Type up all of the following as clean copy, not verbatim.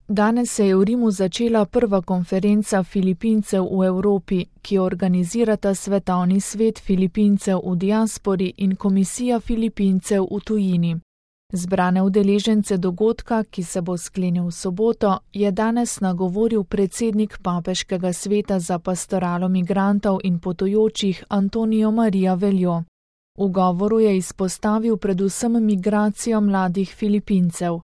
Danes se je v Rimu začela prva konferenca Filipincev v Evropi, ki jo organizirata Svetovni svet Filipincev v diaspori in Komisija Filipincev v tujini. Zbrane udeležence dogodka, ki se bo sklenil v soboto, je danes nagovoril predsednik Papeškega sveta za pastoralo migrantov in potujočih Antonio Maria Veljo. V govoru je izpostavil predvsem migracijo mladih Filipincev.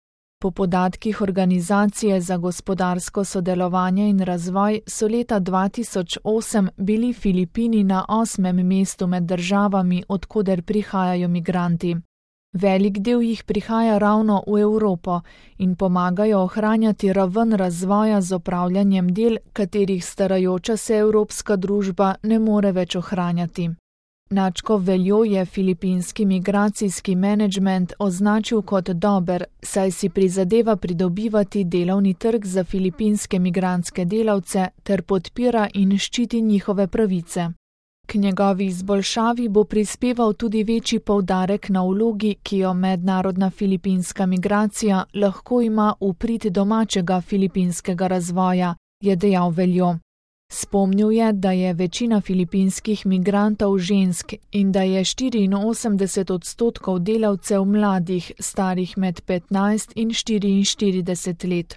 Po podatkih Organizacije za gospodarsko sodelovanje in razvoj so leta 2008 bili Filipini na 8. mestu med državami, od koder prihajajo migranti. Velik del jih prihaja ravno v Evropo in pomagajo ohranjati raven razvoja z opravljanjem del, katerih starajoča se evropska družba ne more več ohranjati. Načko Veljo je filipinski migracijski menedžment označil kot dober, saj si prizadeva pridobivati delovni trg za filipinske migrantske delavce ter podpira in ščiti njihove pravice. K njegovi izboljšavi bo prispeval tudi večji poudarek na vlogi, ki jo mednarodna filipinska migracija lahko ima v prid domačega filipinskega razvoja, je dejal Veljo. Spomnil je, da je večina filipinskih migrantov žensk in da je 84% delavcev mladih, starih med 15 in 44 let.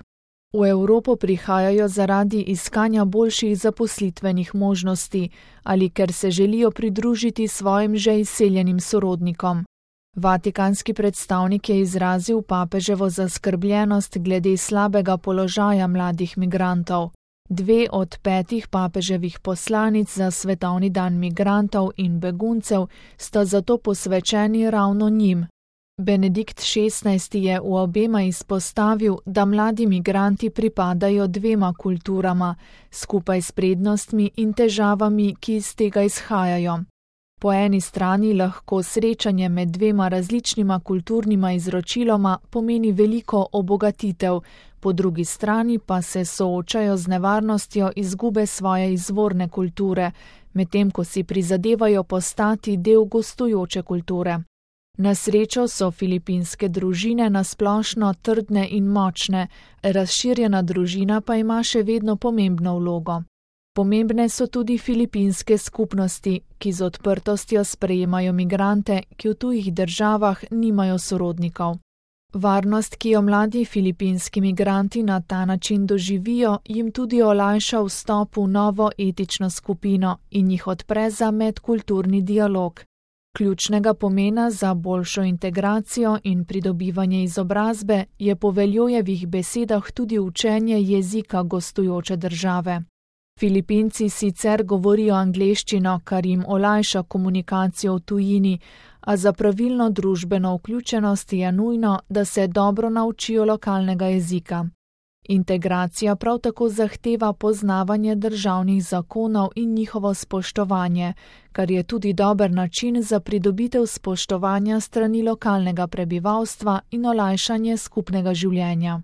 V Evropo prihajajo zaradi iskanja boljših zaposlitvenih možnosti ali ker se želijo pridružiti svojim že izseljenim sorodnikom. Vatikanski predstavnik je izrazil papeževo zaskrbljenost glede slabega položaja mladih migrantov. 2 od 5 papeževih poslanic za Svetovni dan migrantov in beguncev sta zato posvečeni ravno njim. Benedikt XVI je v obema izpostavil, da mladi migranti pripadajo 2 kulturama, skupaj s prednostmi in težavami, ki iz tega izhajajo. Po eni strani lahko srečanje med 2 različnima kulturnima izročiloma pomeni veliko obogatitev, po drugi strani pa se soočajo z nevarnostjo izgube svoje izvorne kulture, medtem ko si prizadevajo postati del gostujoče kulture. Na srečo so filipinske družine nasplošno trdne in močne, razširjena družina pa ima še vedno pomembno vlogo. Pomembne so tudi filipinske skupnosti, ki z odprtostjo sprejemajo migrante, ki v tujih državah nimajo sorodnikov. Varnost, ki jo mladi filipinski migranti na ta način doživijo, jim tudi olajša vstop v novo etično skupino in jih odpre za medkulturni dialog. Ključnega pomena za boljšo integracijo in pridobivanje izobrazbe je po Veljojevih besedah tudi učenje jezika gostujoče države. Filipinci sicer govorijo angleščino, kar jim olajša komunikacijo v tujini, a za pravilno družbeno vključenost je nujno, da se dobro naučijo lokalnega jezika. Integracija prav tako zahteva poznavanje državnih zakonov in njihovo spoštovanje, kar je tudi dober način za pridobitev spoštovanja strani lokalnega prebivalstva in olajšanje skupnega življenja.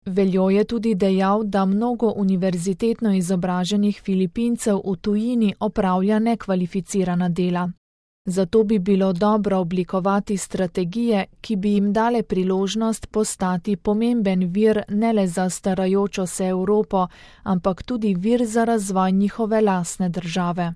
Veljo je tudi dejal, da mnogo univerzitetno izobraženih Filipincev v tujini opravlja nekvalificirana dela. Zato bi bilo dobro oblikovati strategije, ki bi jim dale priložnost postati pomemben vir ne le za starajočo se Evropo, ampak tudi vir za razvoj njihove lastne države.